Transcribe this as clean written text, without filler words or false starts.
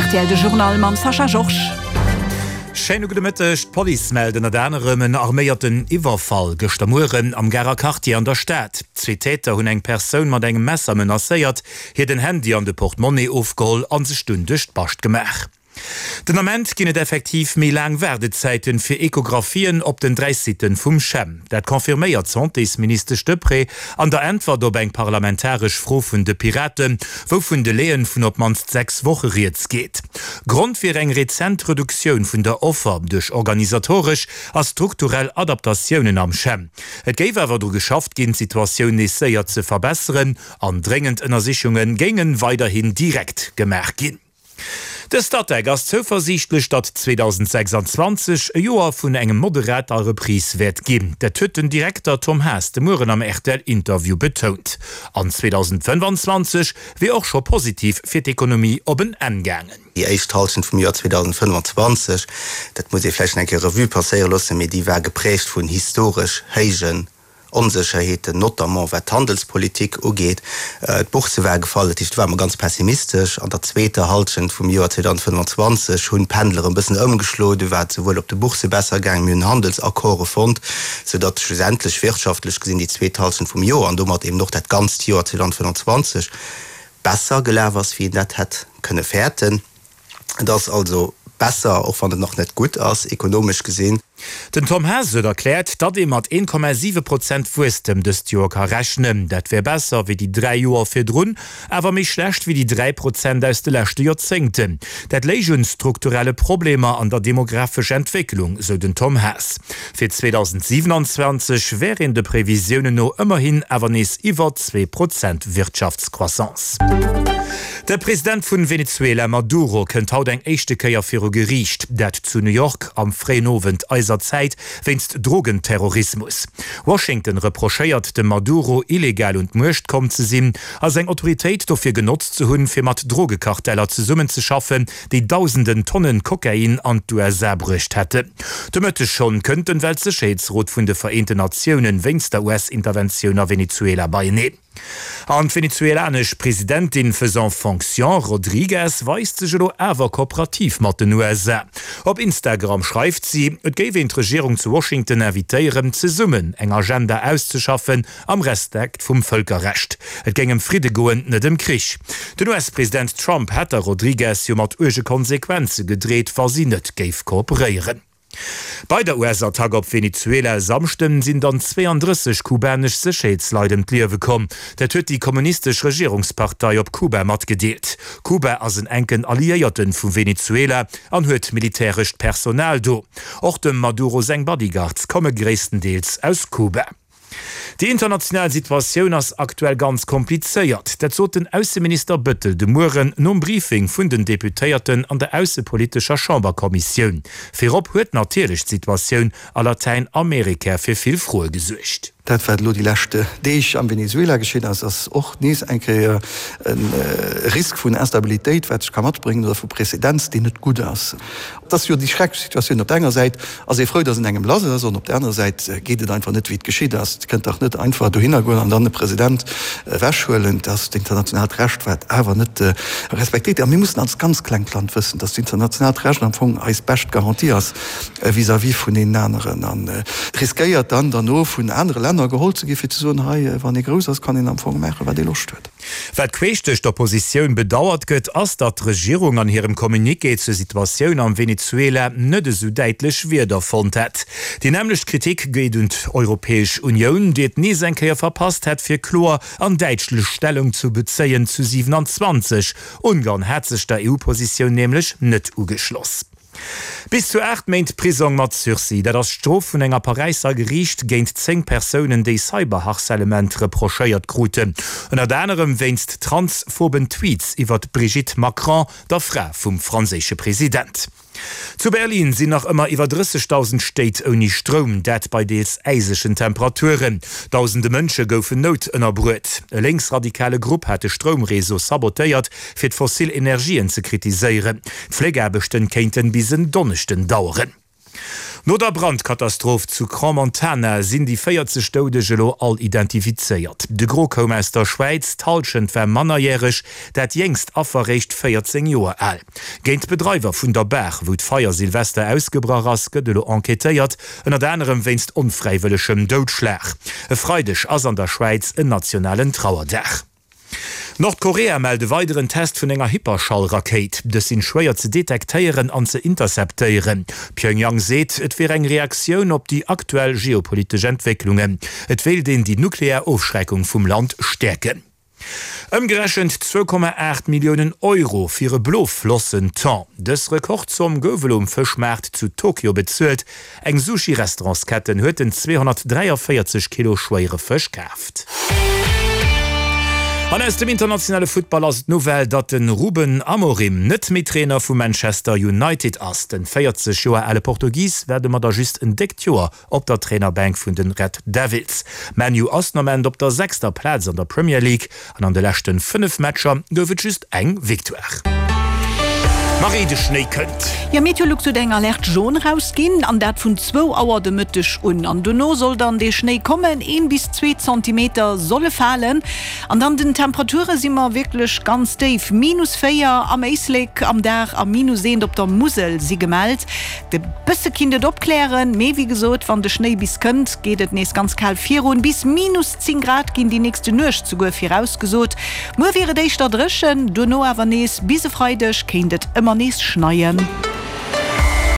Rtl de Journal mam Sascha Georges. Schéine gudde Mëtteg. D'Police mellt ënnert anerem en arméierten Iwwerfall gëschter Mueren am Garer Quartier an der Stad. Zwee Täter hunn eng Persoun mat engem Messer menacéiert, hir den Handy an de Portemonnaie ofgeholl a sech dunn duerch d'Bascht gemaach. Den Ament ginn et effektiv méi laang Waardezäiten fir Echographien op den 3 Siten vum CHEM. Dat confirméiert d'Santésministesch Deprez an der Äntwert op eng parlamentaresch Fro vun de Piraten, wou vun Delaien vun op d'mannst 6 Woche rieds geet. Grond wier eng rezent Reduktioun vun der Offer duerch organisatoresch a strukturell Adaptatiounen am CHEM. Et géif awer dru geschafft ginn, d'Situatioun nees séier ze verbesseren an dréngend Ënnersichunge géinge weiderhin direkt gemaach ginn. De Statec ass zouversiichtlech, datt 2026 e Joer vun engem moderater Reprise wäert ginn. Dat huet den Direkter Tom Haas de Mueren am RTL-Interview betount. An 2025 wier och scho positiv fir d'Ekonomie op en Enn gaangen. Déi éischt Hallschent vum Joer 2025, dat muss ee vläicht nach eng Kéier Revue passéiere loossen, mee déi war geprägt vun historesch héijen Onsécherheeten, notamment wat d'Handelspolitik ugeet. D'Bourse war gefall, dat heescht do ware mer ganz pessimistesch. An der zweeter Hallschent vum Joer 2025 hunn d'Pendel erëm e bëssen ëmgeschloen. Du war et souwuel op de Boursse besser gaangen, mir hunn Handelsaccorde fonnt, soudatt schlussendlech wirtschaftlech gesinn déi zweet Hallschent vum Joer an domat eben och dat ganzt Joer 2025 besser gelaf ass, wéi een dat hätt kënne fäerten. Et ass also besser, och wann et nach net gutt ass, ekonomesch gesinn. Den Tom Haas huet erkläert, datt ee mat 1,7 Prozent Wuesstem dëst Joer ka rechnen. Dat wär besser wéi déi 3 Joer virdrun, awer méi schlecht wéi déi 3 Prozent aus de leschte Joerzéngten. Dat léich un strukturelle Problemer an der demografesch Entwécklung, sou den Tom Haas. Fir 2027 wär een de Previsiounen no ëmmerhin awer nees iwwer 2 Prozent Wirtschaftscroissance. De President vun Venezuela Maduro kënnt haut eng éischte Kéier viru Geriicht, dat zu New York am fréien Owend eiser Zäit, wéinst Drogenterrorismus. Washington reprochéiert dem Maduro, illegal un d'Muecht komm ze sinn a seng Autoritéit dofir genotzt ze hunn, fir mat Drogekarteller zesummenzeschaffen, déi dausenden Tonnen Kokain an d'USA bruecht hätten. De Mëtteg schonn kënnt den Weltsécherheetsrot vun de Vereenten Natiounen wéinst der US-Interventioun a Venezuela beieneen. An d'venezuelanesch Presidentin faisant fonction Rodriguez weist sech elo awer kooperativ mat den USA. Op Instagram schreift si, et géif een d'Regierung zu Washington invitéieren, zesummen eng Agenda auszeschaffen am Respekt vum Vëlkerrecht. Et géing ëm Fridde goen, net ëm Krich. Den US-President Trump hätt der Rodriguez jo mat uerge Konsequenze gedreet, wa si net géif kooperéieren. Bei der US-Attack op Venezuela e Samschden sinn dann 32 kubanesch Sécherheetsleit ëm d'Liewe komm. Dat huet déi kommunistesch Regierungspartei op Kuba matgedeelt. Kuba ass en enken Alliéierten vu Venezuela an huet militärescht Personal do. Och dem Maduro seng Bodyguards komme gréisstendeels aus Kuba. Déi international Situatioun ass aktuell ganz komplizéiert. Dat sot den Ausseminister Bëttel de Mueren nom Briefing vun den Deputéierten an der aussepolitescher Chamberkommissioun. Virop huet natierlech d'Situatioun a Latäinamerika fir vill Froe gesuergt. Dat, wat elo déi lescht Deeg am Venezuela geschitt ass, ass och nees eng Kéier e Risk vun Instabilitéit, wat sech ka matbréngen, oder vu Präzedenz, deen net gutt ass. Et ass jo déi schrecklech Situatioun. Op der enger Säit ass ee frou, datt en engem lass ass, an op der anerer Säit geet et einfach net, wéi et geschitt ass. Et kënnt dach net einfach dohinner goen an dann e President ewechhuelen. Et ass d'internationaalt Recht, wat awer net respektéiert gëtt. A mir mussen als ganz klengt Land wëssen, datt d'internationaalt Recht am Fong eis bescht Garantie ass vis-à-vis vun deenen aneren a riskéiert dann derno vun anere Länner geholl ze gi fir ze soen, hei, wann ee grouss ass, kann een am Fong maachen, wat ee Loscht huet. Wat queesch duerch d'Oppositioun bedauert gëtt, ass, datt d'Regierung an hirem Communiqué zur Situatioun am Venezuela net esou däitlech Wierder fonnt hätt. Déi nämmlecht Kritik geet un d'Europäesch Unioun, déi et nees eng Kéier verpasst hätt, fir kloer an däitschlech Stellung zu bezéien zu 27. Ungarn hat sech der EU-Positioun nämlech net ugeschloss. Bis zu 8 Méint Prisong mat Sursis, dat ass d'Strof vun enger Paräisser Geriicht géint 10 Persounen, déi Cyberharcèlement reprochéiert kruten. Ënnert anerem wéinst transphoben Tweets iwwer d'Brigitte Macron, der Fra vum franséische President. Zu Berlin sinn nach ëmmer iwwer 30.000 Stéit ouni Stroum, dat bei deels äisegen Temperaturen. Dausende Mënsche goufen noutënnerbruet. E lénksradikale Grupp hat de Stroumreseau sabotéiert, fir d'fossil Energien ze kritiséieren. D'Fléckaarbechten kéinten bis en Donneschden daueren. No der Brandkatastroph zu Crans-Montana sinn déi 40 Doudeg elo all identifizéiert. De Gros koum aus der Schwäiz, d'Hallschent war mannerjäreg, dat jéngst Affer réischt 14 Joer al. Géint d'Bedreiwer vun der Bar, wou d'Feier Silvester ausgebrach ass, gëtt elo enquêtéiert, ënnert anerem wéinst onfräiwëllegem Doudschlag. E Freideg ass an der Schwäiz en nationalen Trauerdag. Nordkorea mellt e weideren Test vun enger Hyperschall-Rakéit. Dës sinn schwéier ze detektéieren an ze interceptéieren. Pjöngjang seet, et wier eng Reaktioun op déi aktuell geopolitesch Entwécklungen. Et wéilt een déi nuklear Ofschreckung vum Land stäerken. Ëmgerechent 2,8 Milliounen Euro fir e Bloflossen-Thon. Dës Rekordzomm gouf elo um Fëschmaart zu Tokio bezuelt. Eng Sushi-Restaurantsketten huet den 243 Kilo schwéiere Fësch kaaft. An aus dem internationale Futtball ass et d'Nouvelle, datt de Ruben Amorim net méi Trainer vu Manchester United ass. Den 40 Joer ale Portugis war domadder just en déckt Joer op der Trainerbänk vun de Red Devils. ManU ass den Ament op der sechster Plaz an der Premier League An an de leschten 5 Matcher gouf et just eng Victoire. Marie, de Schnéi kënnt! Jo, Meteolux huet eng Alerte jaune rausginn, an dat vun zwou Auer de Mëtteg un. An dono soll dann dee Schnéi kommen, een bis zwee Zentimeter solle falen. An dann den Temperature si mer wierklech ganz déif, minus 4 am Éislek am Dag a minus eent op der Musel si gemellt. E bësse kinnt et opklären, mee wéi gesot, wann de Schnéi bis kënnt, geet et nees ganz kal virun, bis minus 10 Grad ginn déi nächste Nuecht souguer virausgesot. Muer wier et éischter dréchen, dono awer nees bis e Freideg kéint et ëmmer nees schneien.